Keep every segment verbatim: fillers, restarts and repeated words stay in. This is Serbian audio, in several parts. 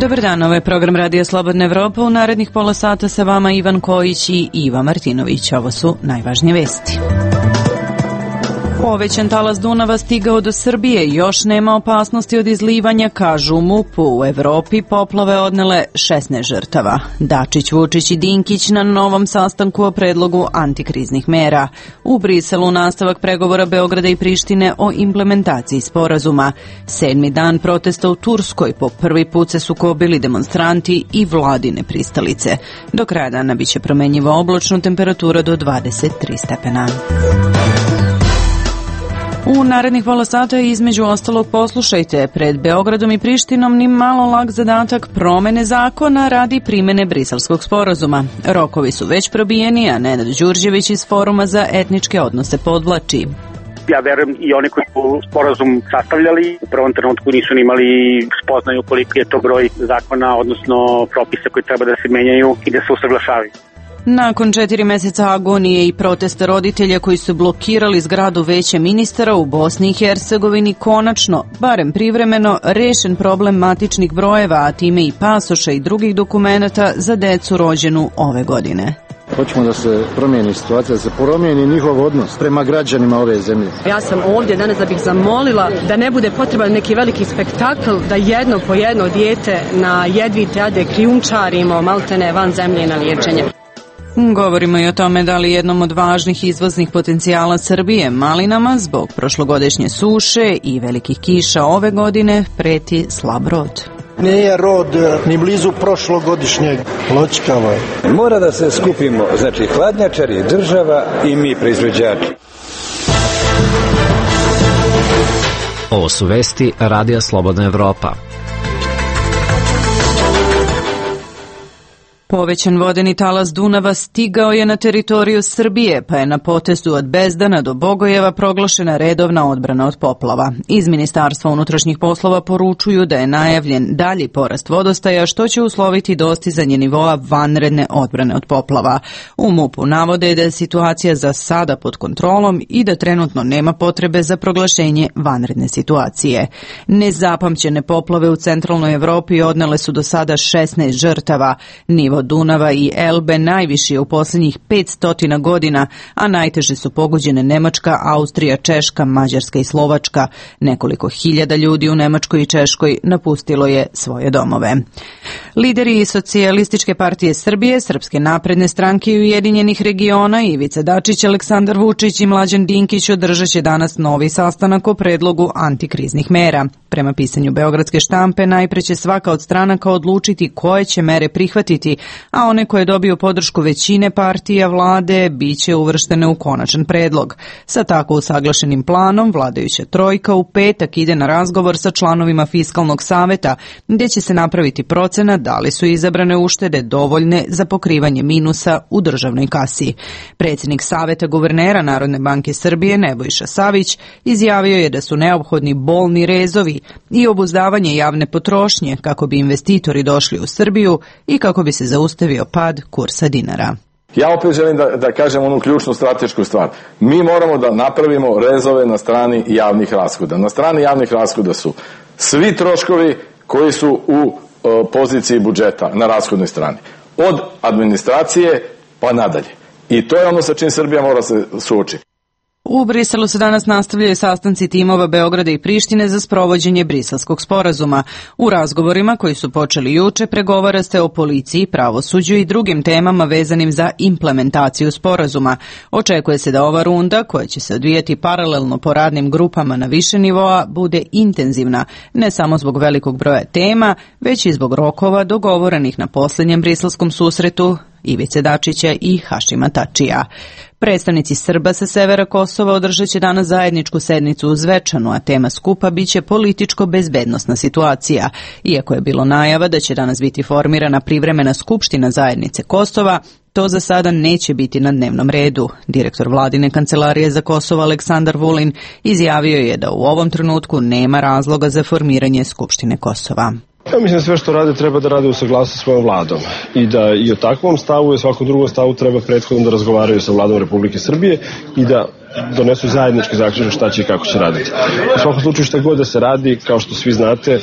Dobar dan, ovo je program Radija Slobodna Evropa. U narednih pola sata sa vama Ivan Kojić i Iva Martinović. Ovo su najvažnije vesti. Povećan talas Dunava stigao do Srbije, još nema opasnosti od izlivanja, kažu u MUP-u. U Evropi poplave odnele šesnaest žrtava. Dačić, Vučić i Dinkić na novom sastanku o predlogu antikriznih mera. U Briselu nastavak pregovora Beograda i Prištine o implementaciji sporazuma. Sedmi dan protesta u Turskoj, po prvi put se sukobili demonstranti i vladine pristalice. Do kraja dana biće promenjiva oblačno, temperatura do dvadeset tri stepena. U narednih pola sata između ostalog poslušajte, pred Beogradom i Prištinom ni malo lak zadatak promene zakona radi primene Briselskog sporazuma. Rokovi su već probijeni, a Nenad Đurđević iz Foruma za etničke odnose podvlači. Ja verujem i oni koji su sporazum sastavljali u prvom trenutku nisu imali spoznaju koliko je to broj zakona, odnosno propisa koji treba da se menjaju i da se usaglašavaju. Nakon četiri meseca agonije i protesta roditelja koji su blokirali zgradu Veća ministara u Bosni i Hercegovini, konačno, barem privremeno, rešen problem matičnih brojeva, a time i pasoša i drugih dokumenata za decu rođenu ove godine. Hoćemo da se promijeni situacija, da se promijeni njihov odnos prema građanima ove zemlje. Ja sam ovdje danas da bih zamolila da ne bude potreban neki veliki spektakl, da jedno po jedno dijete na jedvite ade krijumčarimo maltene van zemlje na liječenje. Govorimo i o tome da li jednom od važnih izvoznih potencijala Srbije, malinama, zbog prošlogodišnje suše i velikih kiša ove godine preti slab rod. Nije rod ni blizu prošlogodišnjeg loćkava. Mora da se skupimo, znači hladnjačari, država i mi proizvođači. Ovo su vesti Radija Slobodna Evropa. Povećan vodeni talas Dunava stigao je na teritoriju Srbije, pa je na potezu od Bezdana do Bogojeva proglašena redovna odbrana od poplava. Iz Ministarstva unutrašnjih poslova poručuju da je najavljen dalji porast vodostaja, što će usloviti dostizanje nivoa vanredne odbrane od poplava. U MUP-u navode da je situacija za sada pod kontrolom i da trenutno nema potrebe za proglašenje vanredne situacije. Nezapamćene poplave u centralnoj Evropi odnele su do sada šesnaest žrtava. Nivo Dunava i Elbe najviši je u posljednjih petsto godina, a najteže su pogođene Nemačka, Austrija, Češka, Mađarska i Slovačka. Nekoliko hiljada ljudi u Nemačkoj i Češkoj napustilo je svoje domove. Lideri Socijalističke partije Srbije, Srpske napredne stranke i Ujedinjenih regiona Ivica Dačić, Aleksandar Vučić i Mlađan Dinkić održat će danas novi sastanak o predlogu antikriznih mera. Prema pisanju Beogradske štampe, najpre će svaka od stranaka odlučiti koje će mere prihvatiti, a one koje dobiju podršku većine partija vlade biće uvrštene u konačan predlog. Sa tako usaglašenim planom, vladajuća trojka u petak ide na razgovor sa članovima Fiskalnog saveta, gdje će se napraviti procena da li su izabrane uštede dovoljne za pokrivanje minusa u državnoj kasi. Predsjednik Saveta guvernera Narodne banke Srbije, Nebojša Savić, izjavio je da su neophodni bolni rezovi i obuzdavanje javne potrošnje kako bi investitori došli u Srbiju i kako bi se zaustavio pad kursa dinara. Ja opet želim da, da kažem onu ključnu stratešku stvar. Mi moramo da napravimo rezove na strani javnih rashoda. Na strani javnih rashoda su svi troškovi koji su u uh, poziciji budžeta na rashodnoj strani. Od administracije pa nadalje. I to je ono sa čim Srbija mora se suočiti. U Briselu se danas nastavljaju sastanci timova Beograda i Prištine za sprovođenje Briselskog sporazuma. U razgovorima koji su počeli juče pregovara se o policiji, pravosuđu i drugim temama vezanim za implementaciju sporazuma. Očekuje se da ova runda, koja će se odvijati paralelno po radnim grupama na više nivoa, bude intenzivna, ne samo zbog velikog broja tema, već i zbog rokova dogovorenih na posljednjem briselskom susretu Ivice Dačića i Hašima Tačija. Predstavnici Srba sa severa Kosova održat će danas zajedničku sednicu u Zvečanu, a tema skupa biće političko-bezbednosna situacija. Iako je bilo najava da će danas biti formirana privremena skupština zajednice Kosova, to za sada neće biti na dnevnom redu. Direktor vladine kancelarije za Kosovo Aleksandar Vulin izjavio je da u ovom trenutku nema razloga za formiranje Skupštine Kosova. Ja mislim da sve što rade treba da rade u saglasnosti sa svojom vladom i da i o takvom stavu i o svakom drugom stavu treba prethodno da razgovaraju sa vladom Republike Srbije i da donesu zajednički zaključak šta će i kako će raditi. U svakom slučaju šta god da se radi, kao što svi znate,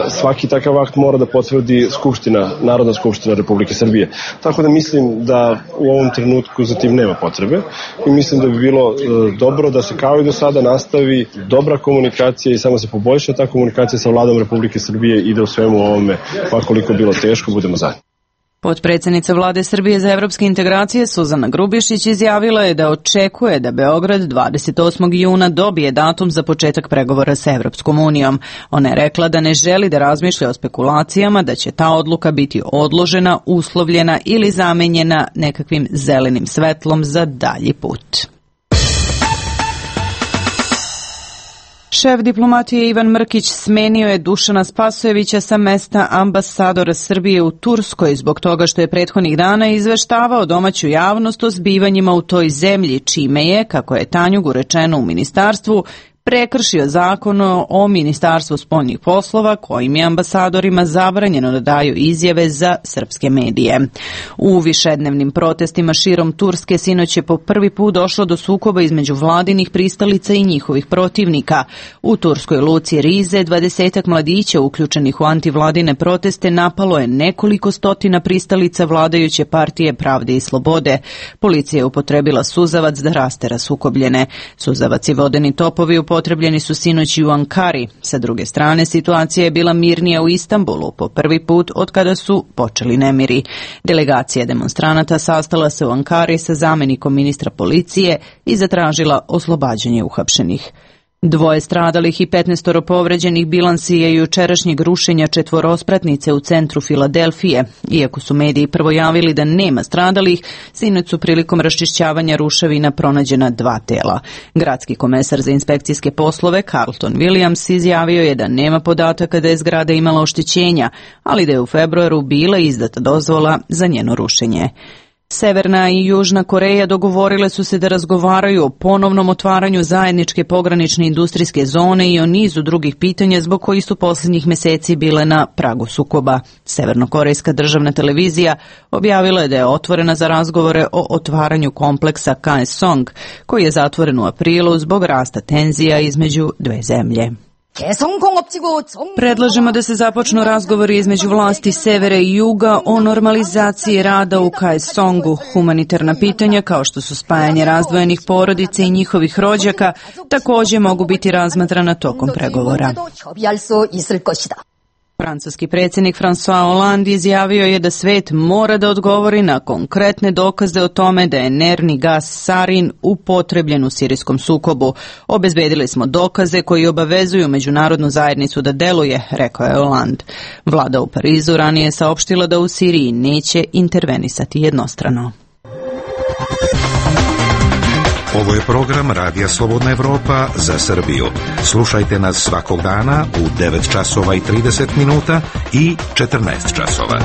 svaki takav akt mora da potvrdi Skupština, Narodna skupština Republike Srbije. Tako da mislim da u ovom trenutku za tim nema potrebe i mislim da bi bilo dobro da se kao i do sada nastavi dobra komunikacija i samo se poboljša ta komunikacija sa Vladom Republike Srbije i da u svemu ovome, pa koliko bilo teško, budemo zajedno. Potpredsjednica Vlade Srbije za evropske integracije Suzana Grubišić izjavila je da očekuje da Beograd dvadeset osmog juna dobije datum za početak pregovora sa Evropskom unijom. Ona je rekla da ne želi da razmišlja o spekulacijama, da će ta odluka biti odložena, uslovljena ili zamenjena nekakvim zelenim svetlom za dalji put. Šef diplomatije Ivan Mrkić smenio je Dušana Spasojevića sa mesta ambasadora Srbije u Turskoj zbog toga što je prethodnih dana izveštavao domaću javnost o zbivanjima u toj zemlji, čime je, kako je Tanjugu rečeno u ministarstvu, prekršio zakon o Ministarstvu spoljnih poslova kojim je ambasadorima zabranjeno da daju izjave za srpske medije. U višednevnim protestima širom Turske sinoć je po prvi put došlo do sukoba između vladinih pristalica i njihovih protivnika. U turskoj luci Rize dvadesetak mladića uključenih u antivladine proteste napalo je nekoliko stotina pristalica vladajuće partije Pravde i slobode. Policija je upotrebila suzavac da rastera sukobljene. Suzavac i vodeni topovi upotrebljeni su sinoć i u Ankari. Sa druge strane, situacija je bila mirnija u Istanbulu po prvi put od kada su počeli nemiri. Delegacija demonstranata sastala se u Ankari sa zamenikom ministra policije i zatražila oslobađanje uhapšenih. Dvoje stradalih i petnaestoro povređenih bilansi je jučerašnjeg rušenja četvorospratnice u centru Filadelfije. Iako su mediji prvo javili da nema stradalih, sinoć su prilikom raščišćavanja ruševina pronađena dva tela. Gradski komesar za inspekcijske poslove Carlton Williams izjavio je da nema podataka da je zgrada imala oštećenja, ali da je u februaru bila izdata dozvola za njeno rušenje. Severna i Južna Koreja dogovorile su se da razgovaraju o ponovnom otvaranju zajedničke pogranične industrijske zone i o nizu drugih pitanja zbog kojih su posljednjih meseci bile na pragu sukoba. Severnokorejska državna televizija objavila je da je otvorena za razgovore o otvaranju kompleksa Kaesong, koji je zatvoren u aprilu zbog rasta tenzija između dve zemlje. Predlažemo da se započnu razgovori između vlasti severa i juga o normalizaciji rada u Kaesongu. Humanitarna pitanja, kao što su spajanje razdvojenih porodica i njihovih rođaka, također mogu biti razmatrana tokom pregovora. Francuski predsjednik François Hollande izjavio je da svet mora da odgovori na konkretne dokaze o tome da je nervni gas sarin upotrebljen u sirijskom sukobu. Obezbedili smo dokaze koji obavezuju međunarodnu zajednicu da deluje, rekao je Hollande. Vlada u Parizu ranije je saopštila da u Siriji neće intervenisati jednostrano. Ovo je program Radija Slobodna Evropa za Srbiju. Slušajte nas svakog dana u devet časova i trideset minuta i četrnaest časova.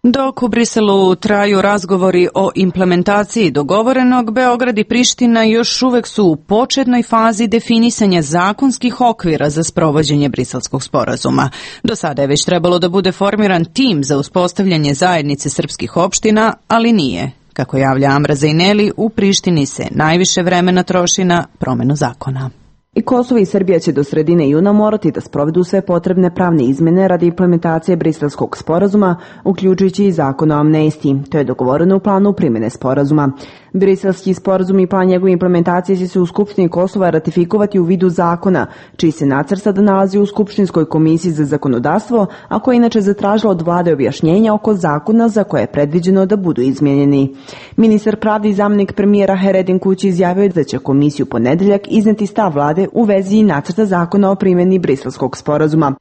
Dok u Briselu traju razgovori o implementaciji dogovorenog, Beograd i Priština još uvek su u početnoj fazi definisanja zakonskih okvira za sprovođenje Briselskog sporazuma. Do sada je već trebalo da bude formiran tim za uspostavljanje zajednice srpskih opština, ali nije. Kako javlja Amra Zajneli, u Prištini se najviše vremena troši na promenu zakona. I Kosovo i Srbija će do sredine juna morati da sprovedu sve potrebne pravne izmene radi implementacije Briselskog sporazuma, uključujući i zakon o amnestiji. To je dogovoreno u planu primjene sporazuma. Briselski sporazum i plan njegove implementacije će se u Skupštini Kosova ratifikovati u vidu zakona, čiji se nacrt sada nalazi u Skupštinskoj komisiji za zakonodavstvo, a koja je inače zatražila od vlade objašnjenja oko zakona za koje je predviđeno da budu izmijenjeni. Ministar pravde i zamjenik premijera Heredin Kući izjavio da će komisiju ponedeljak izneti stav vlade u vezi nacrta zakona o primjeni Briselskog sporazuma.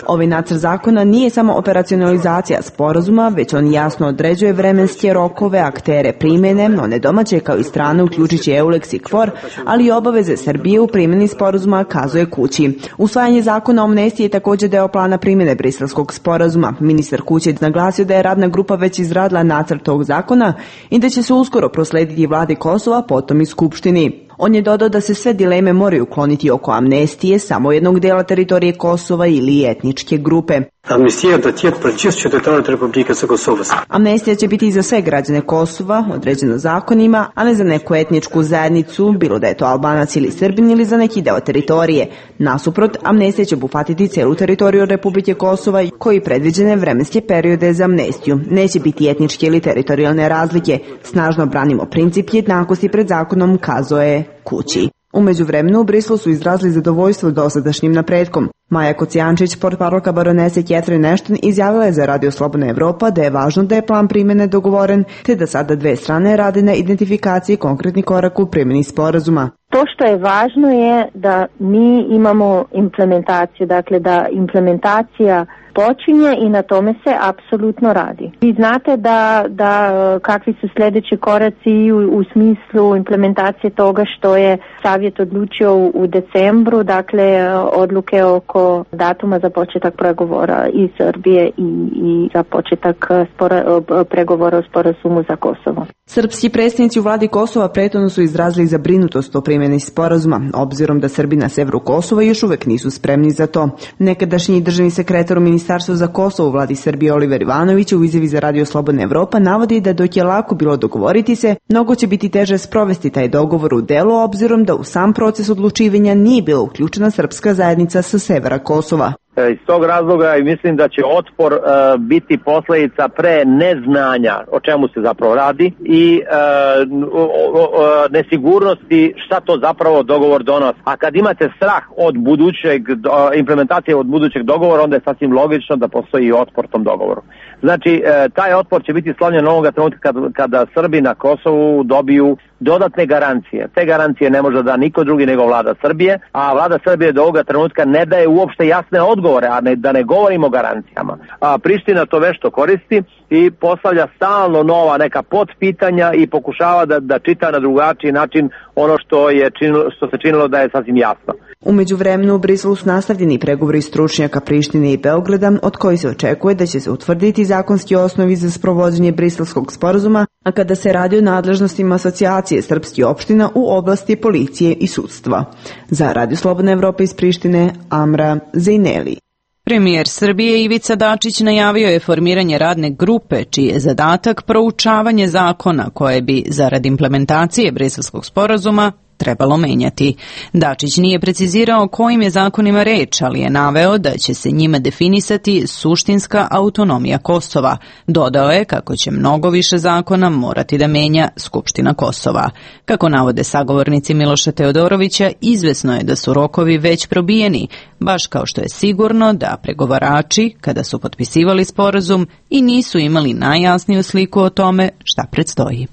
Ovaj nacrt zakona nije samo operacionalizacija sporazuma, već on jasno određuje vremenske rokove, aktere primjene, one domaće kao i strane, uključujući EULEX i KFOR, ali i obaveze Srbije u primjeni sporazuma, kazuje Kući. Usvajanje zakona o amnestiji je također deo plana primjene Briselskog sporazuma. Ministar Kući je naglasio da je radna grupa već izradila nacrt tog zakona i da će se uskoro proslediti vladi Kosova, potom i Skupštini. On je dodao da se sve dileme moraju ukloniti oko amnestije samo jednog dela teritorije Kosova ili etničke grupe. Amnistija datiert pradžius teritorijalne Republike za Kosovo. Amnestija će biti i za sve građane Kosova, određeno zakonima, a ne za neku etničku zajednicu, bilo da je to Albanac ili Srbin ili za neki deo teritorije. Nasuprot, amnestija će obuhvatiti celu teritoriju Republike Kosova koji predviđene vremenske periode za amnestiju. Neće biti etničke ili teritorijalne razlike. Snažno branimo princip jednakosti pred zakonom, kazao je Kući. U međuvremenu u Briselu su izrazili zadovoljstvo dosadašnjim napretkom. Maja Kocijančić, portparolka baronese Catherine Ashton, izjavila je za Radio Slobodna Evropa da je važno da je plan primjene dogovoren, te da sada dve strane rade na identifikaciji konkretnih koraka u primjeni sporazuma. To što je važno je da mi imamo implementaciju, dakle da implementacija počinje i na tome se apsolutno radi. Vi znate da, da kakvi su sljedeći koraci u, u smislu implementacije toga što je Savjet odlučio u, u decembru, dakle odluke oko datuma za početak pregovora i Srbije i, i za početak spora, pregovora o sporazumu za Kosovo. Srpski predstavnici u vladi Kosova prethodno su izrazili zabrinutost o primjeni sporazuma, obzirom da Srbi na severu Kosova još uvek nisu spremni za to. Nekadašnji državni sekretar u Ministarstvu za Kosovo u vladi Srbije Oliver Ivanović u izjavi za Radio Slobodna Evropa navodi da dok je lako bilo dogovoriti se, mnogo će biti teže sprovesti taj dogovor u delu, obzirom da u sam proces odlučivanja nije bila uključena srpska zajednica sa severa Kosova. Iz tog razloga mislim da će otpor uh, biti posljedica pre neznanja o čemu se zapravo radi i uh, o, o, o, nesigurnosti šta to zapravo dogovor donosi. A kad imate strah od budućeg do, implementacije od budućeg dogovora, onda je sasvim logično da postoji otpor tom dogovoru. Znači, uh, taj otpor će biti slonjen ovoga trenutka kad, kada Srbi na Kosovu dobiju dodatne garancije. Te garancije ne može da niko drugi nego vlada Srbije, a vlada Srbije do ovoga trenutka ne daje uopšte jasne odgovore, a ne, da ne govorimo o garancijama. A Priština to vešto koristi i postavlja stalno nova neka potpitanja i pokušava da, da čita na drugačiji način ono što, je činilo, što se činilo da je sasvim jasno. U međuvremenu u Briselu su nastavljeni pregovori stručnjaka Prištine i Beograda, od koji se očekuje da će se utvrditi zakonski osnovi za sprovođenje Briselskog sporazuma, a kada se radi o nadležnostima asocijacije srpskih opština u oblasti policije i sudstva. Za Radio Slobodna Evropa iz Prištine, Amra Zejneli. Premijer Srbije Ivica Dačić najavio je formiranje radne grupe čiji je zadatak proučavanje zakona koje bi, zarad implementacije Briselskog sporazuma, trebalo menjati. Dačić nije precizirao o kojim je zakonima reč, ali je naveo da će se njima definisati suštinska autonomija Kosova. Dodao je kako će mnogo više zakona morati da menja Skupština Kosova. Kako navode sagovornici Miloša Teodorovića, izvesno je da su rokovi već probijeni, baš kao što je sigurno da pregovarači, kada su potpisivali sporazum, i nisu imali najjasniju sliku o tome šta predstoji.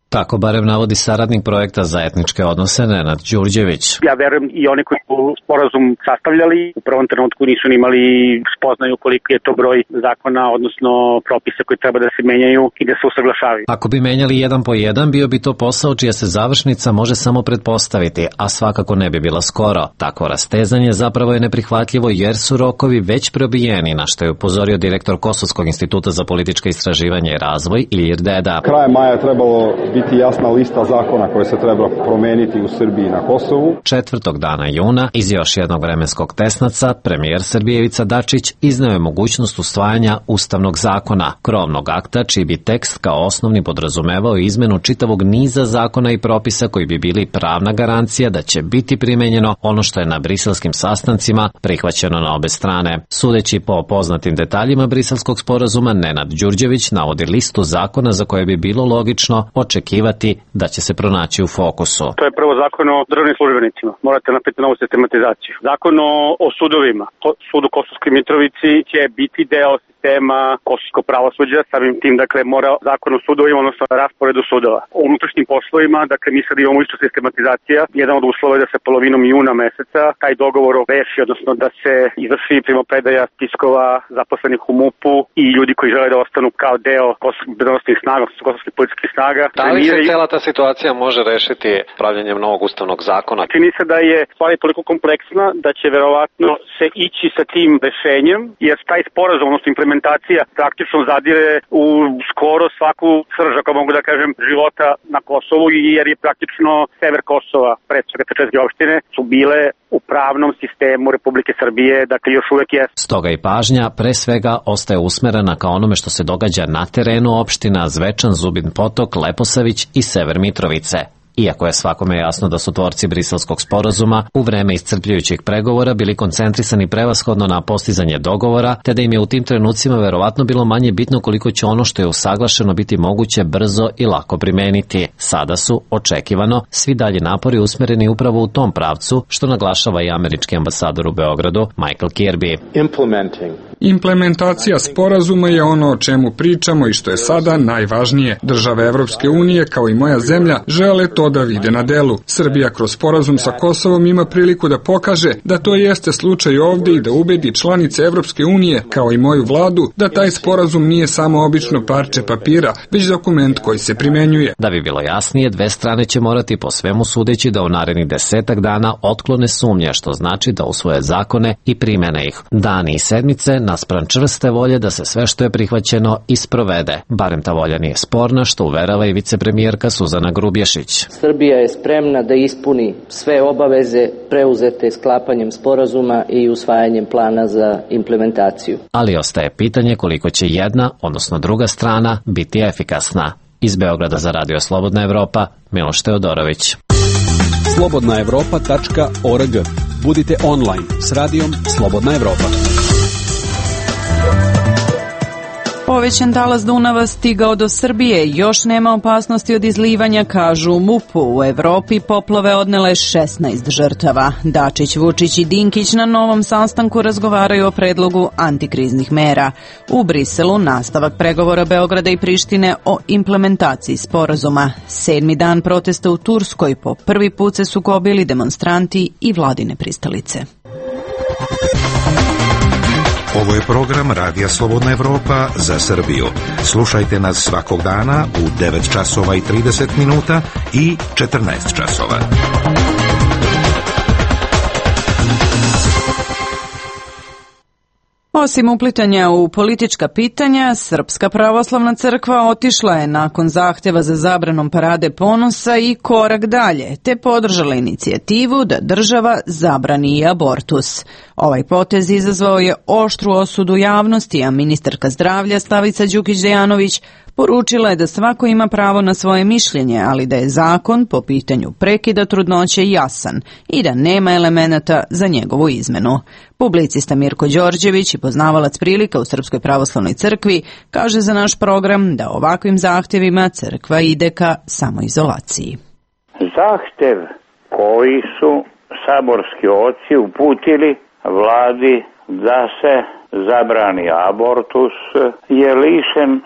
Tako barem navodi saradnik projekta za etničke odnose Nenad Đurđević. Ja verujem i oni koji su sporazum sastavljali u prvom trenutku nisu imali spoznaju koliko je to broj zakona, odnosno propisa koji treba da se menjaju i da se usaglašavaju. Ako bi menjali jedan po jedan, bio bi to posao čija se završnica može samo pretpostaviti, a svakako ne bi bila skoro. Takvo rastezanje zapravo je neprihvatljivo jer su rokovi već probijeni, na što je upozorio direktor Kosovskog instituta za politička istraživanja i razvoj Ilir Deda. Krajem maja trebalo biti jasna lista zakona koje se treba promeniti u Srbiji na Kosovu. Četvrtog dana juna, iz još jednog vremenskog tesnaca, premijer Srbije Ivica Dačić izneo je mogućnost usvajanja ustavnog zakona, krovnog akta čiji bi tekst kao osnovni podrazumevao izmenu čitavog niza zakona i propisa koji bi bili pravna garancija da će biti primenjeno ono što je na briselskim sastancima prihvaćeno na obe strane. Sudeći po poznatim detaljima briselskog sporazuma, Nenad Đurđević navodi listu zakona za koje bi bilo logično očekivati da će se pronaći u fokusu. To je prvo zakon o državnim službenicima. Morate napraviti novu sistematizaciju. Zakon o, o sudovima. Sud u Kosovskoj Mitrovici će biti deo sistema kosovskog pravosuđa. Samim tim, dakle, mora zakon o sudovima, odnosno rasporedu sudova. O unutrašnjim poslovima, dakle, mi sad imamo isto sistematizacija. Jedan od uslova je da se polovinom juna meseca taj dogovor reši, odnosno da se izvrši primopredaja spiskova zaposlenih u MUP-u i ljudi koji žele da ostanu kao deo kosovskih bezbednosnih snaga, odnosno kosovskih policijskih snaga. Da li se cela ta situacija može rešiti pravljenjem novog ustavnog zakona? Čini se da je stvar toliko kompleksna da će verovatno se ići sa tim rešenjem, jer taj sporazum, odnosno implementacija implementacija praktično zadire u skoro svaku srž, ako mogu da kažem, života na Kosovu, jer je praktično sever Kosova, pre svega te četiri opštine, su bile u pravnom sistemu Republike Srbije, dakle još uvek je. Stoga i pažnja pre svega ostaje usmerena ka onome što se događa na terenu opština Zvečan, Zubin Potok, Leposavić i Sever Mitrovice. Iako je svakome jasno da su tvorci Briselskog sporazuma u vreme iscrpljujućih pregovora bili koncentrisani prevashodno na postizanje dogovora, te da im je u tim trenucima verovatno bilo manje bitno koliko će ono što je usaglašeno biti moguće brzo i lako primeniti. Sada su, očekivano, svi dalje napori usmereni upravo u tom pravcu, što naglašava i američki ambasador u Beogradu, Michael Kirby. Implementacija sporazuma je ono o čemu pričamo i što je sada najvažnije. Države Evropske unije, kao i moja zemlja, žele to da vide na delu. Srbija kroz sporazum sa Kosovom ima priliku da pokaže da to jeste slučaj ovde i da ubedi članice Evropske unije, kao i moju vladu, da taj sporazum nije samo obično parče papira, već dokument koji se primenjuje. Da bi bilo jasnije, dve strane će morati po svemu sudeći da u narednih desetak dana otklone sumnje, što znači da usvoje zakone i primene ih. Dani i sedmice naspram čvrste volje da se sve što je prihvaćeno isprovede. Barem ta volja nije sporna, što uverava i vicepremijerka Suzana Grubješić. Srbija je spremna da ispuni sve obaveze preuzete sklapanjem sporazuma i usvajanjem plana za implementaciju. Ali ostaje pitanje koliko će jedna, odnosno druga strana, biti efikasna. Iz Beograda za Radio Slobodna Evropa, Miloš Teodorović. slobodna evropa tačka org. Budite online s radijom Slobodna Evropa. Povećan talas Dunava stigao do Srbije, još nema opasnosti od izlivanja, kažu u MUP-u. U Evropi poplave odnele šesnaest žrtava. Dačić, Vučić i Dinkić na novom sastanku razgovaraju o predlogu antikriznih mera. U Briselu nastavak pregovora Beograda i Prištine o implementaciji sporazuma. Sedmi dan protesta u Turskoj, po prvi put se sukobili demonstranti i vladine pristalice. Ovo je program Radija Slobodna Evropa za Srbiju. Slušajte nas svakog dana u devet časova i trideset minuta i četrnaest časova. Osim uplitanja u politička pitanja, Srpska pravoslavna crkva otišla je nakon zahtjeva za zabranom parade ponosa i korak dalje, te podržala inicijativu da država zabrani i abortus. Ovaj potez izazvao je oštru osudu javnosti, a ministarka zdravlja Slavica Đukić-Dejanović poručila je da svako ima pravo na svoje mišljenje, ali da je zakon po pitanju prekida trudnoće jasan i da nema elemenata za njegovu izmenu. Publicista Mirko Đorđević i poznavalac prilika u Srpskoj pravoslavnoj crkvi kaže za naš program da ovakvim zahtjevima crkva ide ka samoizolaciji. Zahtev koji su saborski oci uputili vladi da se zabrani abortus je lišen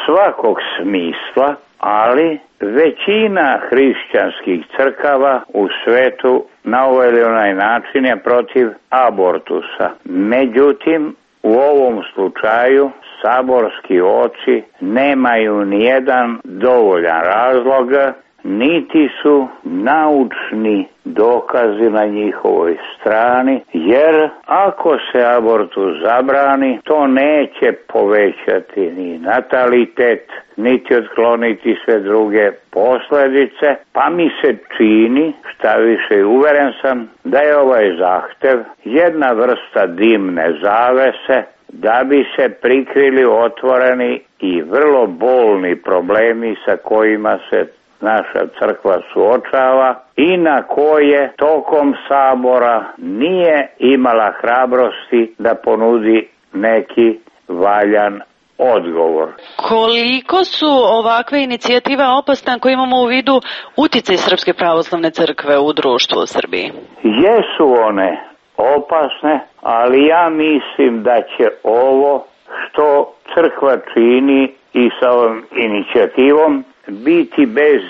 svakog smisla, ali većina hrišćanskih crkava u svetu na ovaj ili onaj način je protiv abortusa. Međutim, u ovom slučaju saborski oci nemaju nijedan dovoljan razlog, niti su naučni dokazi na njihovoj strani, jer ako se abortus zabrani, to neće povećati ni natalitet, niti otkloniti sve druge posljedice, pa mi se čini, šta više uveren sam, da je ovaj zahtev jedna vrsta dimne zavese da bi se prikrili otvoreni i vrlo bolni problemi sa kojima se naša crkva suočava i na koje tokom sabora nije imala hrabrosti da ponudi neki valjan odgovor. Koliko su ovakve inicijative opasne ako imamo u vidu uticaj Srpske pravoslavne crkve u društvu u Srbiji? Jesu one opasne, ali ja mislim da će ovo što crkva čini i sa ovom inicijativom biti bez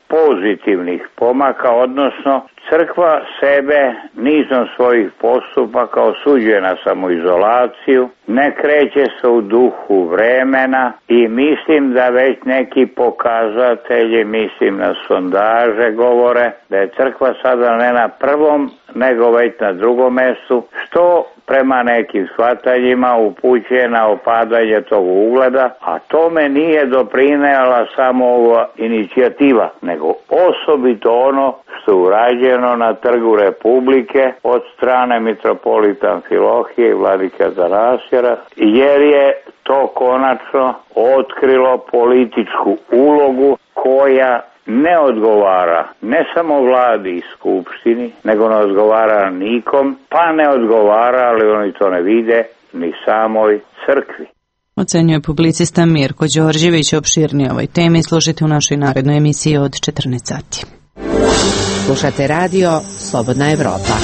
pozitivnih pomaka, odnosno crkva sebe nizom svojih postupaka osuđuje na samoizolaciju, ne kreće se u duhu vremena i mislim da već neki pokazatelji, mislim na sondaže, govore da je crkva sada ne na prvom, nego već na drugom mestu, što prema nekim shvatanjima upućuje na opadanje tog ugleda, a tome nije doprinela samo ova inicijativa, nego osobito ono što je urađeno na Trgu Republike od strane mitropolita Amfilohije i vladike Atanasija, jer je to konačno otkrilo političku ulogu koja ne odgovara ne samo vladi i skupštini, nego ne odgovara nikom, pa ne odgovara, ali oni to ne vide, ni samoj crkvi. Ocenjuje publicista Mirko Đorđević. Opširnije ovoj temi slušajte u našoj narednoj emisiji od četrnaest sati. Slušate radio Slobodna Evropa.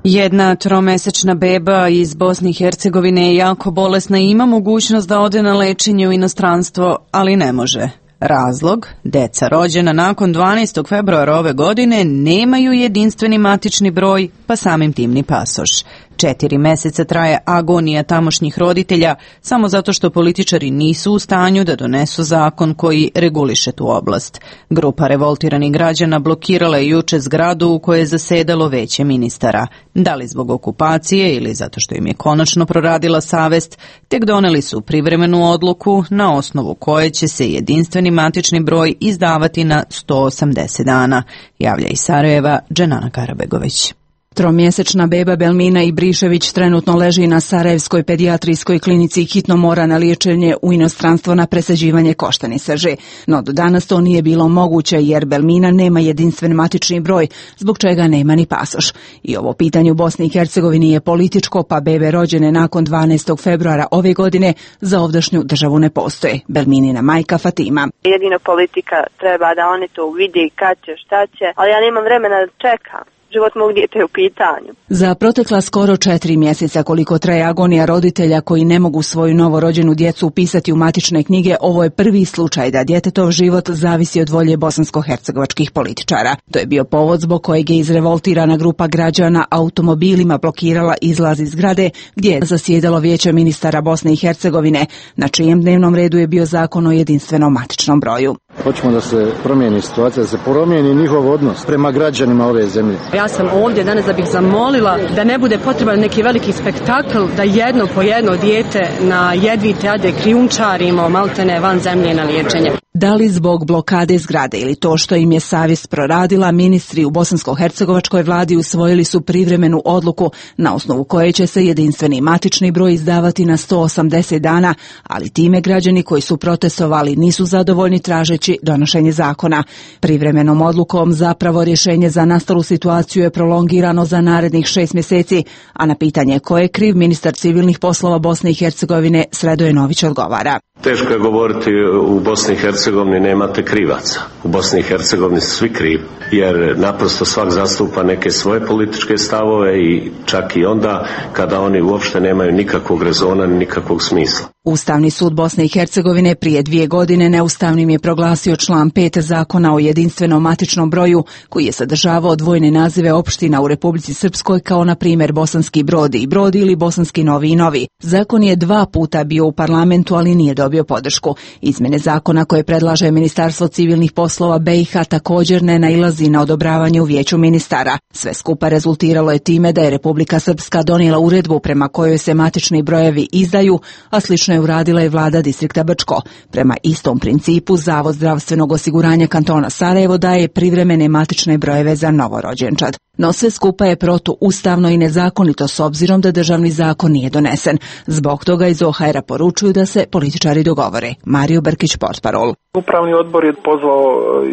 Jedna tromesečna beba iz Bosne i Hercegovine je jako bolesna i ima mogućnost da ode na lečenje u inostranstvo, ali ne može. Razlog? Deca rođena nakon dvanaestog februara ove godine nemaju jedinstveni matični broj, pa samim tim ni pasoš. Četiri meseca traje agonija tamošnjih roditelja samo zato što političari nisu u stanju da donesu zakon koji reguliše tu oblast. Grupa revoltiranih građana blokirala je juče zgradu u kojoj je zasedalo veće ministara. Da li zbog okupacije ili zato što im je konačno proradila savest, tek doneli su privremenu odluku na osnovu koje će se jedinstveni matični broj izdavati na sto osamdeset dana, javlja iz Sarajeva Dženana Karabegović. Tromjesečna beba Belmina Ibrišević trenutno leži na Sarajevskoj pedijatrijskoj klinici i hitno mora na liječenje u inostranstvo na presađivanje koštane srže. No do danas to nije bilo moguće jer Belmina nema jedinstven matični broj, zbog čega nema ni pasoš. I ovo pitanje u Bosni i Hercegovini je političko, pa bebe rođene nakon dvanaestog februara ove godine za ovdašnju državu ne postoje. Belminina majka Fatima. Jedino politika treba da oni to vidi kad će, šta će, ali ja nemam vremena da čekam. Život mog djete je u pitanju. Za protekla skoro četiri mjeseca koliko traje agonija roditelja koji ne mogu svoju novorođenu djecu upisati u matične knjige, ovo je prvi slučaj da djetetov život zavisi od volje bosansko-hercegovačkih političara. To je bio povod zbog kojeg je izrevoltirana grupa građana automobilima blokirala izlaz iz zgrade gdje je zasjedalo vijeće ministara Bosne i Hercegovine, na čijem dnevnom redu je bio zakon o jedinstvenom matičnom broju. Hoćemo da se promijeni situacija, da se promijeni njihov odnos prema građanima ove zemlje. Ja sam ovdje danas da bih zamolila da ne bude potreban neki veliki spektakl, da jedno po jedno dijete na jedvite ade krijumčarimo maltene van zemlje na liječenje. Da li zbog blokade zgrade ili to što im je savjest proradila, ministri u bosansko-hercegovačkoj vladi usvojili su privremenu odluku na osnovu koje će se jedinstveni matični broj izdavati na sto osamdeset dana, ali time građani koji su protestovali nisu zadovoljni tražeći donošenje zakona. Privremenom odlukom zapravo rješenje za nastalu situaciju je prolongirano za narednih šest mjeseci, a na pitanje ko je kriv, ministar civilnih poslova Bosne i Hercegovine Sredoje Nović odgovara. Teško je govoriti u Bosni i Hercegovini nemate krivaca. U Bosni i Hercegovini su svi krivi, jer naprosto svak zastupa neke svoje političke stavove i čak i onda kada oni uopšte nemaju nikakvog rezona ni nikakvog smisla. Ustavni sud Bosne i Hercegovine prije dvije godine neustavnim je proglasio član pet zakona o jedinstvenom matičnom broju koji je sadržavao dvojne nazive opština u Republici Srpskoj kao na primjer Bosanski Brod i Brod ili Bosanski Novi i Novi. Zakon je dva puta bio u parlamentu, ali nije dobio podršku. Izmjene zakona koje predlaže Ministarstvo civilnih poslova B i H također ne nailazi na odobravanje u vijeću ministara. Sve skupa rezultiralo je time da je Republika Srpska donijela uredbu prema kojoj se matični brojevi izdaju, a slično je uradila i vlada distrikta Brčko. Prema istom principu, Zavod zdravstvenog osiguranja kantona Sarajevo daje privremene matične brojeve za novorođenčad. No sve skupa je protuustavno i nezakonito s obzirom da državni zakon nije donesen. Zbog toga iz O H R-a poručuju da se političari dogovore. Mario Brkić, portparol. Upravni odbor je pozvao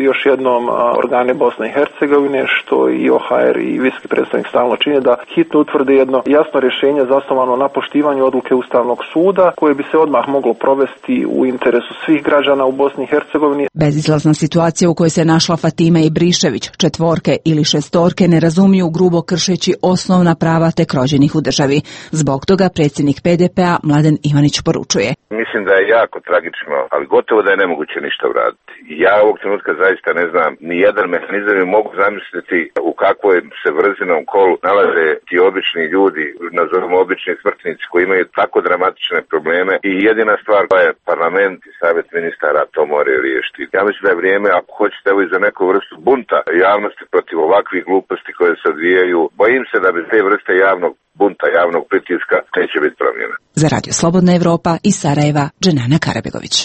još jednom organe Bosne i Hercegovine, što i O H R i visoki predstavnik stalno čine, da hitno utvrde jedno jasno rješenje zasnovano na poštivanju odluke Ustavnog suda, koje bi se odmah moglo provesti u interesu svih građana u Bosni i Hercegovini. Bezizlazna situacija u kojoj se našla Fatima Ibrišević, četvorke ili šestorke, ne razumiju grubo kršeći osnovna prava tek rođenih u državi. Zbog toga predsjednik P D P-a Mladen Ivanić poručuje. Mislim da je jako tragično, ali gotovo da je nemoguće ništa uraditi. Ja ovog trenutka zaista ne znam ni jedan mehanizam i mogu zamisliti u kakvoj se vrzinom kolu nalaze ti obični ljudi, nazovimo obični smrtnici koji imaju tako dramatične probleme i jedina stvar koja je parlament i savjet ministara to moraju riješiti. Ja mislim da je vrijeme, ako hoćete, evo i za neku vrstu bunta javnosti protiv ovakvih gluposti koje se odvijaju, bojim se da bez te vrste javnog bunta, javnog pritiska neće biti promjena. Za Radio Slobodna Evropa iz Sarajeva, Dženana Karabegović.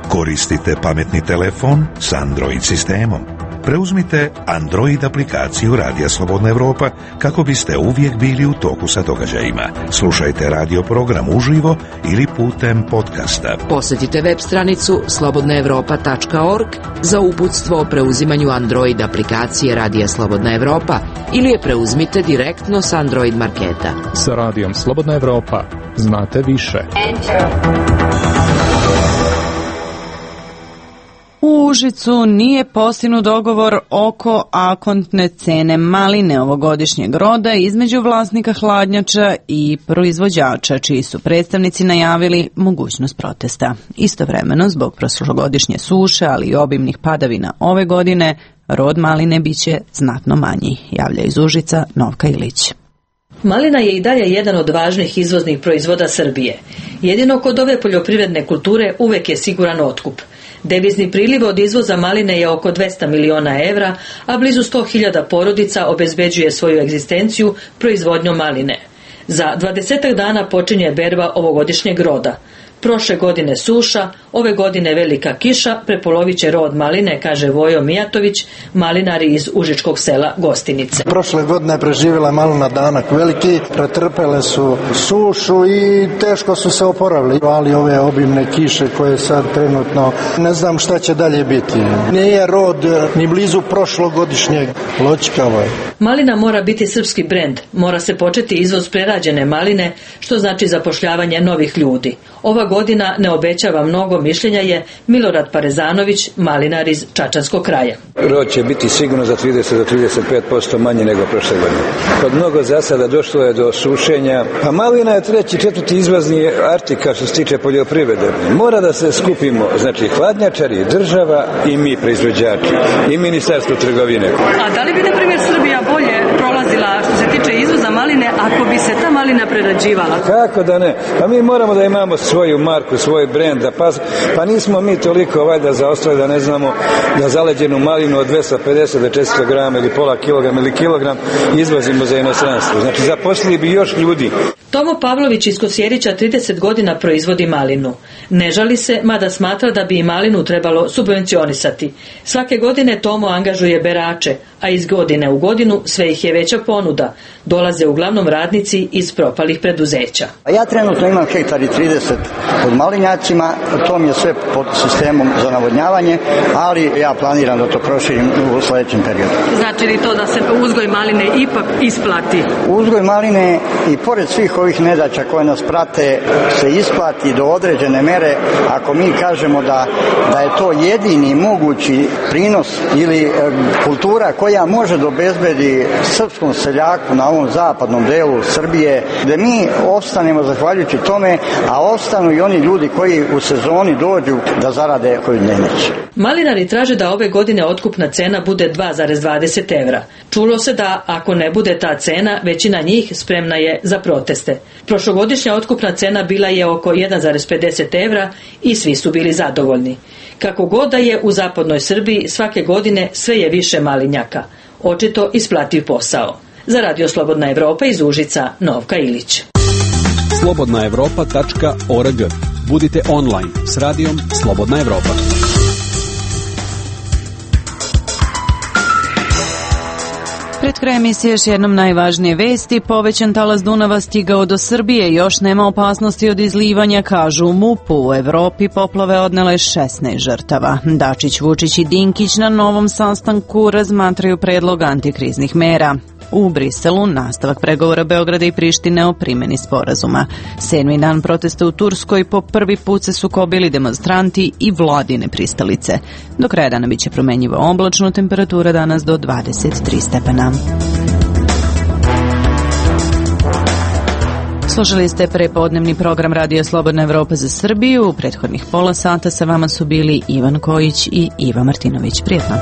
Koristite pametni telefon s Android sistemom. Preuzmite Android aplikaciju Radija Slobodna Evropa kako biste uvijek bili u toku sa događajima. Slušajte radio program uživo ili putem podcasta. Posjetite web stranicu slobodna evropa tačka org za uputstvo o preuzimanju Android aplikacije Radija Slobodna Evropa ili je preuzmite direktno s Android marketa. Sa Radijom Slobodna Evropa znate više. U Užicu nije postignut dogovor oko akontne cene maline ovogodišnjeg roda između vlasnika hladnjača i proizvođača, čiji su predstavnici najavili mogućnost protesta. Istovremeno, zbog prošlogodišnje suše, ali i obimnih padavina ove godine, rod maline biće znatno manji, javlja iz Užica Novka Ilić. Malina je i dalje jedan od važnih izvoznih proizvoda Srbije. Jedino kod ove poljoprivredne kulture uvek je siguran otkup. Devizni priliv od izvoza maline je oko dvesta miliona evra, a blizu sto hiljada porodica obezbeđuje svoju egzistenciju proizvodnjom maline. Za dvadesetak dana počinje berba ovogodišnjeg roda. Prošle godine suša, ove godine velika kiša prepolovit će rod maline, kaže Vojo Mijatović, malinari iz užičkog sela Gostinice. Prošle godine je preživjela malina danak veliki, pretrpele su sušu i teško su se oporavili. Ali ove obimne kiše koje sad trenutno, ne znam šta će dalje biti. Nije rod ni blizu prošlogodišnjeg, loćkavo je. Malina mora biti srpski brend, mora se početi izvoz prerađene maline, što znači zapošljavanje novih ljudi. Ova godina ne obećava mnogo, mišljenja je Milorad Parezanović, malinar iz Čačanskog kraja. Rod će biti sigurno za trideset do trideset pet posto manje nego prošle godine. Kod mnogo zasada došlo je do sušenja, a malina je treći, četvrti izvozni artikal što se tiče poljoprivrede. Mora da se skupimo, znači hladnjačari, država i mi proizvođači i ministarstvo trgovine. A da li bi, na primjer, Srbija bolje prolazila što se tiče izvoza maline ako bi se ta malina prerađivala? Kako da ne? Pa mi moramo da imamo svoju marku, svoj brend, pa, pa nismo mi toliko valjda zaostali da ne znamo da zaleđenu malinu od dvesta pedeset do četiristo grama ili pola kilograma ili kilogram izvozimo za inostranstvo. Znači zaposlili bi još ljudi. Tomo Pavlović iz Kosjerića trideset godina proizvodi malinu. Ne žali se, mada smatra da bi i malinu trebalo subvencionisati. Svake godine Tomo angažuje berače, a iz godine u godinu sve ih je veća ponuda. Dolaze uglavnom radnici iz propalih preduzeća. Ja trenutno imam hektar i trideset pod malinjacima, to mi je sve pod sistemom za navodnjavanje, ali ja planiram da to proširim u sljedećem periodu. Znači li to da se uzgoj maline ipak isplati? Uzgoj maline i pored svih ovih nedaća koje nas prate se isplati do određene mere ako mi kažemo da, da je to jedini mogući prinos ili e, kultura koja može da obezbedi srpskom seljaku na ovom zapadnom delu Srbije, da mi ostanemo zahvaljujući tome, a ostanu i oni ljudi koji u sezoni dođu da zarade koju dnevnicu. Malinari traže da ove godine otkupna cena bude dva zarez dvadeset evra. Čulo se da ako ne bude ta cena, većina njih spremna je za proteste. Prošlogodišnja otkupna cena bila je oko jedan zarez pedeset evra i svi su bili zadovoljni. Kako god da je u zapadnoj Srbiji, svake godine sve je više malinjaka. Očito isplativ posao. Za Radio Slobodna Evropa iz Užica, Novka Ilić. slobodna evropa tačka org. Budite online s radijom Slobodna Evropa. Pred kraj emisije još jednom najvažnije vesti. Povećan talas Dunava stigao do Srbije, još nema opasnosti od izlivanja, kažu u MUP-u. U Evropi poplave odnele šesnaest žrtava. Dačić, Vučić i Dinkić na novom sastanku razmatraju predlog antikriznih mera. U Briselu nastavak pregovora Beograda i Prištine o primjeni sporazuma. Sedmi dan protesta u Turskoj, po prvi put se sukobili demonstranti i vladine pristalice. Do kraja dana biće promenjivo oblačno, temperatura danas do dvadeset tri stepena. Slušali ste prepodnevni program Radio Slobodna Evropa za Srbiju. U prethodnih pola sata sa vama su bili Ivan Kojić i Iva Martinović. Prijetno.